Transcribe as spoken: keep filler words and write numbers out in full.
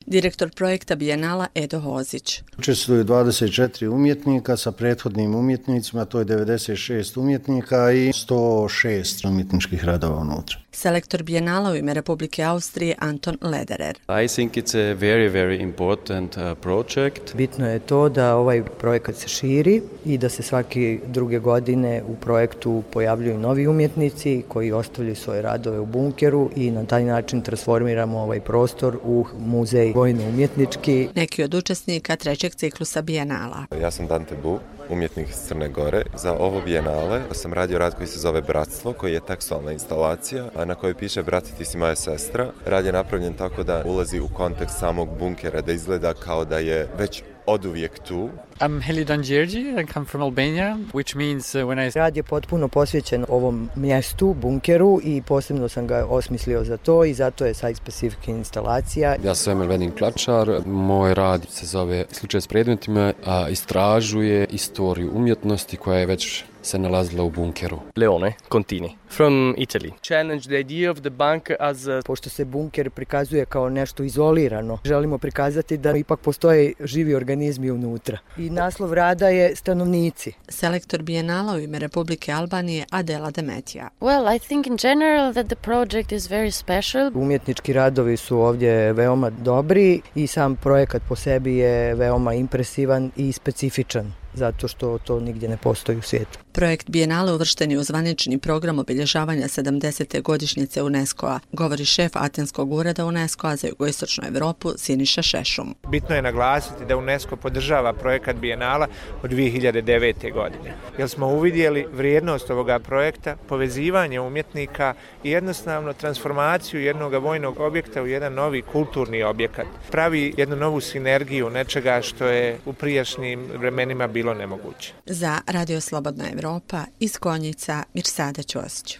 Direktor projekta Bijenala Edo Hozić. Učestvuju dvadeset četiri umjetnika sa prethodnim umjetnicima, to je devedeset šest umjetnika i sto šest umjetničkih radova unutra. Selektor Bijenala u ime Republike Austrije Anton Lederer. I think it's a very, very important uh, project. Bitno je to da ovaj projekat se širi i da se svake druge godine u projektu pojavljuju novi umjetnici koji ostavljaju svoje radove u bunkeru i na taj način transformiramo ovaj prostor u muzej vojno-umjetnički. Neki od učesnika trećeg ciklusa Bijenala. Ja sam Dante Bu, umjetnik iz Crne Gore. Za ovo Bijenale sam radio rad koji se zove Bratstvo, koji je tekstualna instalacija, a na kojoj piše Brati, ti si moja sestra. Rad je napravljen tako da ulazi u kontekst samog bunkera, da izgleda kao da je već oduvijek tu. I'm Helidan Đerđi, I come from Albania, which means uh, when I... Rad je potpuno posvećen ovom mjestu, bunkeru, i posebno sam ga osmislio za to i zato je site-specific instalacija. Ja sam Emil Venin Klačar, moj rad se zove Slučaj s predmetima, a istražuje istoriju umjetnosti koja je već se nalazila u bunkeru. Leone Contini, from Italy. Challenge the idea of the bunker as a... Pošto se bunker prikazuje kao nešto izolirano, želimo prikazati da ipak postoje živi organizmi unutra. I naslov rada je Stanovnici. Selektor Bijenala u ime Republike Albanije Adela Demetija. Well, I think in general that the project is very special. Umjetnički radovi su ovdje veoma dobri i sam projekat po sebi je veoma impresivan i specifičan, zato što to nigdje ne postoji u svijetu. Projekt Bijenale uvršten je u zvanični program obilježavanja sedamdesete godišnjice UNESCO-a, govori šef Atenskog ureda UNESCO-a za jugoistočnu Evropu Siniša Šešum. Bitno je naglasiti da UNESCO podržava projekat Bijenala od dvije hiljade devete. godine, jer smo uvidjeli vrijednost ovoga projekta, povezivanje umjetnika i jednostavno transformaciju jednog vojnog objekta u jedan novi kulturni objekat. Pravi jednu novu sinergiju nečega što je u prijašnjim vremenima bilo nemoguće. Za Radio Slobodna Evropa iz Konjica Mirsada Ćosić.